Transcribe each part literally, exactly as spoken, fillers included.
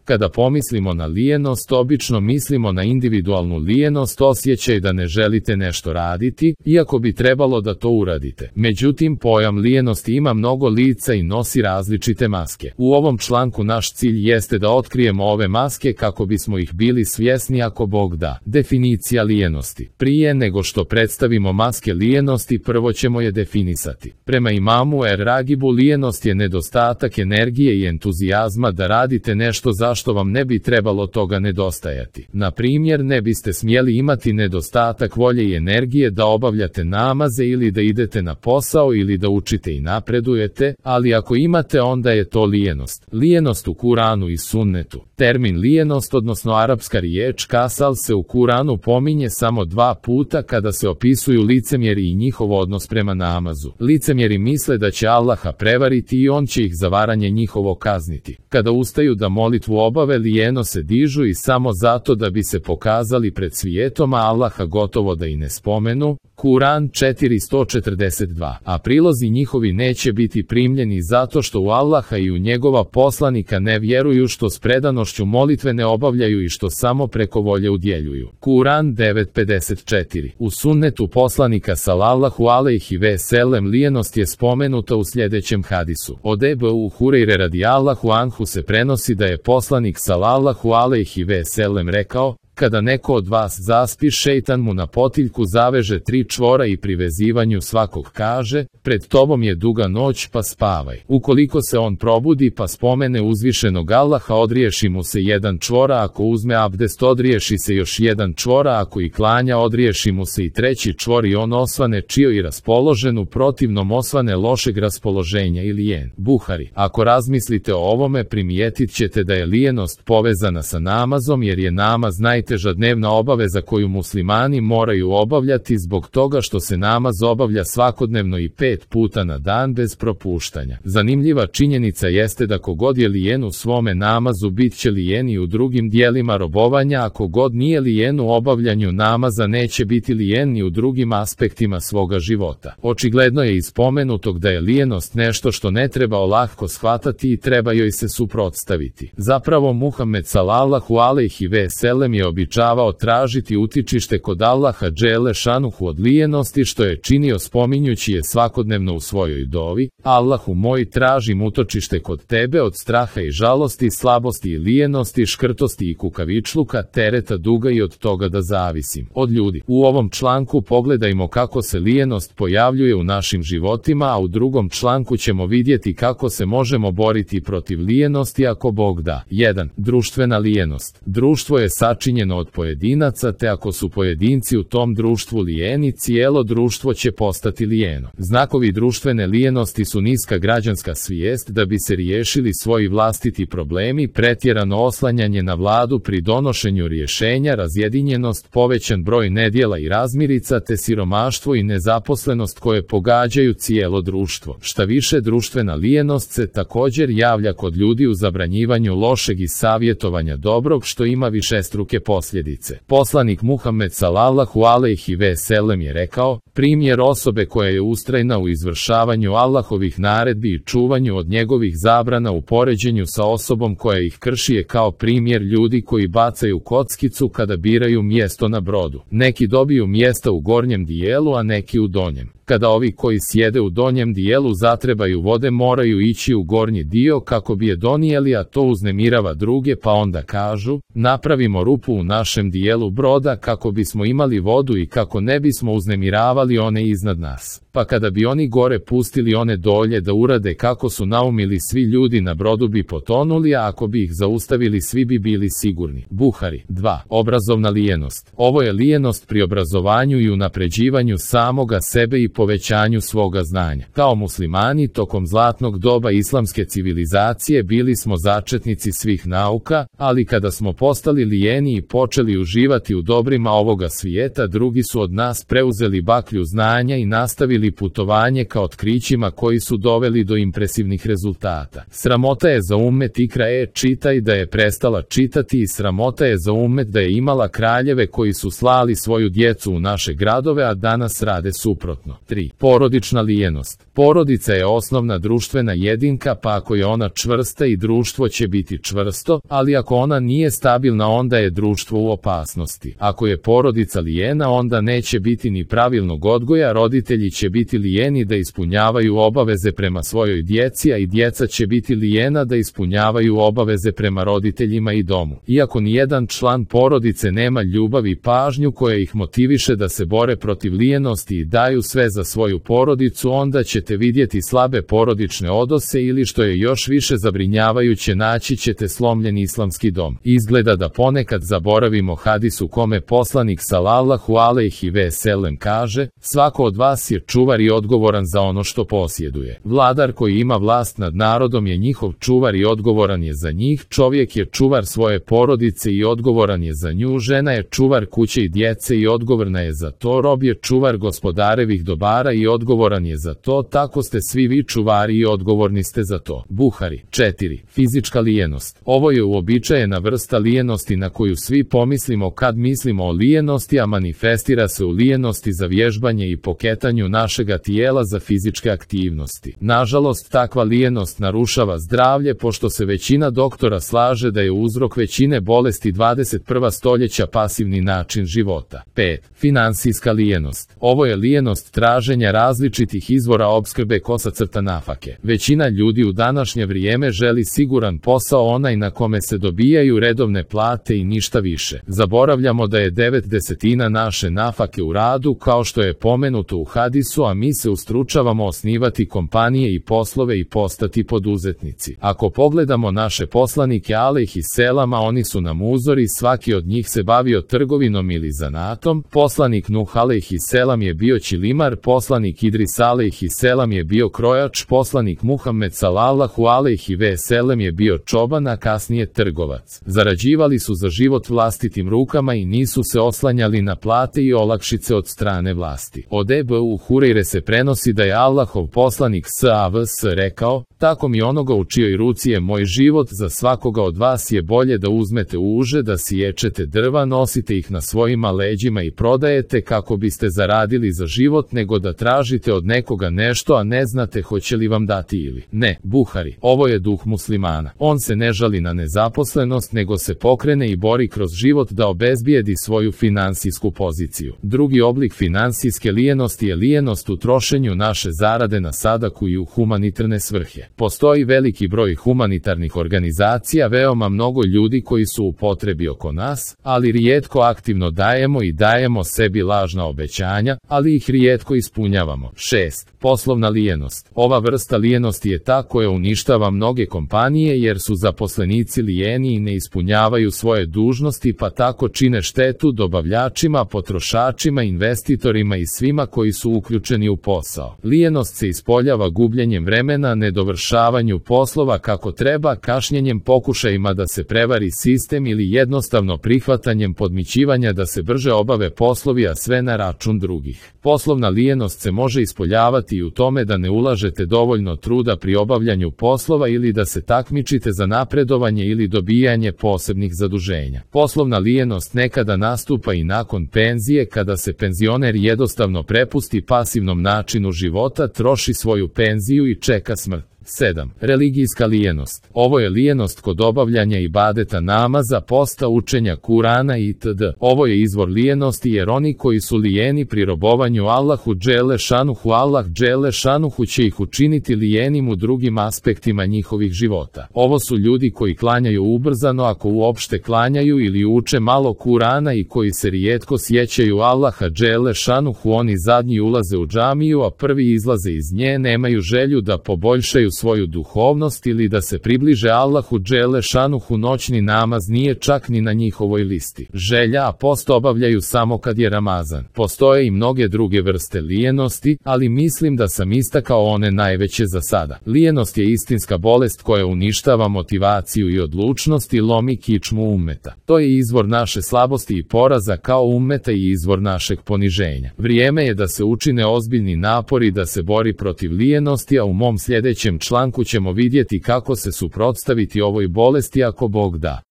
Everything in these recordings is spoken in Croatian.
Kada pomislimo na lijenost, obično mislimo na individualnu lijenost, osjećaj da ne želite nešto raditi, iako bi trebalo da to uradite. Međutim, pojam lijenosti ima mnogo lica i nosi različite maske. U ovom članku naš cilj jeste da otkrijemo ove maske kako bismo ih bili svjesni ako Bog da. Definicija lijenosti. Prije nego što predstavimo maske lijenosti, prvo ćemo je definisati. Prema imamu Er-Ragibu, lijenost je nedostatak energije i entuzijazma da radite nešto zašto vam ne bi trebalo toga nedostajati. Na primjer, ne biste smjeli imati nedostatak volje i energije da obavljate namaze ili da idete na posao ili da učite i napredujete, ali ako imate, onda je to lijenost. Lijenost u Kuranu i sunnetu. Termin lijenost, odnosno arapska riječ kasal, se u Kuranu pominje samo dva puta kada se opisuju licemjeri i njihov odnos prema namazu. Licemjeri misle da će Allaha prevariti i on će ih za varanje njihovo kazniti. Kada ustaju da molitvu obave, lijeno se dižu i samo zato da bi se pokazali pred svijetom, a Allaha gotovo da i ne spomenu. Kuran četiristo četrdeset dva. A prilozi njihovi neće biti primljeni zato što u Allaha i u njegova poslanika ne vjeruju, što s predanošću molitve ne obavljaju i što samo preko volje udjeljuju. Kuran devet pedeset četiri. U sunnetu poslanika sallallahu alejhi ve sellem lijenost je spomenuta u sljedećem hadisu. Od Ebu Hurejre radijallahu anhu se prenosi da je poslanik sallallahu alejhi ve sellem rekao: kada neko od vas zaspi, šejtan mu na potiljku zaveže tri čvora i pri vezivanju svakog kaže: pred tobom je duga noć, pa spavaj. Ukoliko se on probudi pa spomene uzvišenog Allaha, odriješi mu se jedan čvora, ako uzme abdest odriješi se još jedan čvora, ako i klanja odriješi mu se i treći čvor i on osvane čio i raspoložen, u protivnom osvane lošeg raspoloženja i lijen. Buhari. Ako razmislite o ovome, primijetit ćete da je lijenost povezana sa namazom, jer je namaz naj najteža dnevna obaveza koju muslimani moraju obavljati zbog toga što se namaz obavlja svakodnevno i pet puta na dan bez propuštanja. Zanimljiva činjenica jeste da kogod je lijen u svome namazu bit će lijen i u drugim dijelima robovanja, a kogod nije lijen u obavljanju namaza neće biti lijen ni u drugim aspektima svoga života. Očigledno je iz spomenutog da je lijenost nešto što ne treba olahko shvatati i treba joj se suprotstaviti. Zapravo Muhammed sallallahu alejhi ve sellem je običavao tražiti utičište kod Allaha dželle šanuhu od lijenosti, što je činio spominjući je svakodnevno u svojoj dovi: Allahu moj, tražim utočište kod tebe od straha i žalosti, slabosti i lijenosti, škrtosti i kukavičluka, tereta duga i od toga da zavisim od ljudi. U ovom članku pogledajmo kako se lijenost pojavljuje u našim životima, a u drugom članku ćemo vidjeti kako se možemo boriti protiv lijenosti ako Bog da. jedan. Društvena lijenost. Društvo je sačinjeno od pojedinaca, te ako su pojedinci u tom društvu lijeni, cijelo društvo će postati lijeno. Znakovi društvene lijenosti su niska građanska svijest da bi se riješili svoji vlastiti problemi, pretjerano oslanjanje na vladu pri donošenju rješenja, razjedinjenost, povećan broj nedjela i razmirica, te siromaštvo i nezaposlenost koje pogađaju cijelo društvo. Šta više, društvena lijenost se također javlja kod ljudi u zabranjivanju lošeg i savjetovanja dobrog, što ima višestruke posljedice. Poslanik Muhammed sallallahu alejhi ve sellem je rekao: primjer osobe koja je ustrajna u izvršavanju Allahovih naredbi i čuvanju od njegovih zabrana u poređenju sa osobom koja ih krši je kao primjer ljudi koji bacaju kockicu kada biraju mjesto na brodu. Neki dobiju mjesta u gornjem dijelu, a neki u donjem. Kada ovi koji sjede u donjem dijelu zatrebaju vode, moraju ići u gornji dio kako bi je donijeli, a to uznemirava druge, pa onda kažu: napravimo rupu u našem dijelu broda kako bismo imali vodu i kako ne bismo uznemiravali one iznad nas. Pa kada bi oni gore pustili one dolje da urade kako su naumili, svi ljudi na brodu bi potonuli, a ako bi ih zaustavili svi bi bili sigurni. Buhari. dva. Obrazovna lijenost. Ovo je lijenost pri obrazovanju i unapređivanju samoga sebe i povećanju svoga znanja. Kao muslimani tokom zlatnog doba islamske civilizacije bili smo začetnici svih nauka, ali kada smo postali lijeni i počeli uživati u dobrima ovoga svijeta, drugi su od nas preuzeli baklju znanja i nastavili putovanje ka otkrićima koji su doveli do impresivnih rezultata. Sramota je za ummet ikra e čitaj da je prestala čitati i sramota je za ummet da je imala kraljeve koji su slali svoju djecu u naše gradove, a danas rade suprotno. tri. Porodična lijenost. Porodica je osnovna društvena jedinka, pa ako je ona čvrsta i društvo će biti čvrsto, ali ako ona nije stabilna onda je društvo u opasnosti. Ako je porodica lijena onda neće biti ni pravilnog odgoja, roditelji će biti lijeni da ispunjavaju obaveze prema svojoj djeci, a i djeca će biti lijena da ispunjavaju obaveze prema roditeljima i domu. Iako nijedan član porodice nema ljubav i pažnju koja ih motiviše da se bore protiv lijenosti i daju sve za svoju porodicu, onda ćete vidjeti slabe porodične odnose ili što je još više zabrinjavajuće, naći ćete slomljen islamski dom. Izgleda da ponekad zaboravimo hadis u kome poslanik sallallahu alejhi ve sellem kaže: svako od vas je čuvar i odgovoran za ono što posjeduje. Vladar koji ima vlast nad narodom je njihov čuvar i odgovoran je za njih. Čovjek je čuvar svoje porodice i odgovoran je za nju. Žena je čuvar kuće i djece i odgovorna je za to. Rob je čuvar gospodarevih dobara i odgovoran je za to. Tako ste svi vi čuvari i odgovorni ste za to. Buhari. četiri. Fizička lijenost. Ovo je uobičajena vrsta lijenosti na koju svi pomislimo kad mislimo o lijenosti, a manifestira se u lijenosti za vježbanje i poketanju našega tijela za fizičke aktivnosti. Nažalost, takva lijenost narušava zdravlje, pošto se većina doktora slaže da je uzrok većine bolesti dvadeset prvog stoljeća pasivni način života. pet. Finansijska lijenost. Ovo je lijenost traženja različitih izvora opskrbe kosa crta nafake. Većina ljudi u današnje vrijeme želi siguran posao, onaj na kome se dobijaju redovne plate i ništa više. Zaboravljamo da je devet desetina naše nafake u radu, kao što je pomenuto u hadisu, a mi se ustručavamo osnivati kompanije i poslove i postati poduzetnici. Ako pogledamo naše poslanike alejhi selama, oni su nam uzori, svaki od njih se bavio trgovinom ili zanatom. Poslanik Nuh alejhi selam je bio čilimar, poslanik Idris alejhi selam je bio krojač, poslanik Muhammed sallallahu alejhi ve sellem je bio čoban, a kasnije trgovac. Zarađivali su za život vlastitim rukama i nisu se oslanjali na plate i olakšice od strane vlasti. Od Ebu Hurejre se prenosi da je Allahov poslanik sallallahu alejhi ve sellem rekao: tako mi onoga u čijoj ruci je moj život, za svakoga od vas je bolje da uzmete uže, da siječete drva, nosite ih na svojima leđima i prodajete kako biste zaradili za život, nego da tražite od nekoga nešto, a ne znate hoće li vam dati ili ne. Buhari. Ovo je duh muslimana. On se ne žali na nezaposlenost, nego se pokrene i bori kroz život da obezbijedi svoju finansijsku poziciju. Drugi oblik finansijske lijenosti je lijenost u trošenju naše zarade na sadaku i u humanitarne svrhe. Postoji veliki broj humanitarnih organizacija, veoma mnogo ljudi koji su u potrebi oko nas, ali rijetko aktivno dajemo i dajemo sebi lažna obećanja, ali ih rijetko ispunjavamo. šest. Poslovna lijenost. Ova vrsta lijenosti je ta koja uništava mnoge kompanije jer su zaposlenici lijeni i ne ispunjavaju svoje dužnosti, pa tako čine štetu dobavljačima, potrošačima, investitorima i svima koji su uključeni u posao. Lijenost se ispoljava gubljenjem vremena, nedovršavanju poslova kako treba, kašnjenjem, pokušajima da se prevari sistem ili jednostavno prihvatanjem podmićivanja da se brže obave poslovi, a sve na račun drugih. Poslovna lijenost se može ispoljavati i u tome da ne ulažete dovoljno truda pri obavljanju poslova ili da se takmičite za napredovanje ili dobijanje posebnih zaduženja. Poslovna lijenost nekada nastupa i nakon penzije, kada se penzioner jednostavno prepusti pasivnom načinu života, troši svoju penziju i čeka smrt. sedam. Religijska lijenost. Ovo je lijenost kod obavljanja ibadeta, namaza, posta, učenja Kurana itd. Ovo je izvor lijenosti jer oni koji su lijeni pri robovanju Allahu dželle šanuhu, Allah dželle šanuhu će ih učiniti lijenim u drugim aspektima njihovih života. Ovo su ljudi koji klanjaju ubrzano, ako uopšte klanjaju, ili uče malo Kurana i koji se rijetko sjećaju Allaha dželle šanuhu. Oni zadnji ulaze u džamiju, a prvi izlaze iz nje, nemaju želju da poboljšaju svoju duhovnost ili da se približe Allahu dželle šanuhu. Noćni namaz nije čak ni na njihovoj listi želja, a post obavljaju samo kad je Ramazan. Postoje i mnoge druge vrste lijenosti, ali mislim da sam istakao one najveće za sada. Lijenost je istinska bolest koja uništava motivaciju i odlučnost i lomi kičmu ummeta. To je izvor naše slabosti i poraza kao ummeta i izvor našeg poniženja. Vrijeme je da se učine ozbiljni napori da se bori protiv lijenosti, a u mom sljedećem članku ćemo vidjeti kako se suprotstaviti ovoj bolesti ako Bog da.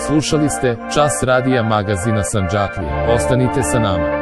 Slušali ste Čas radija magazina Sandžaklija. Ostanite sa nama.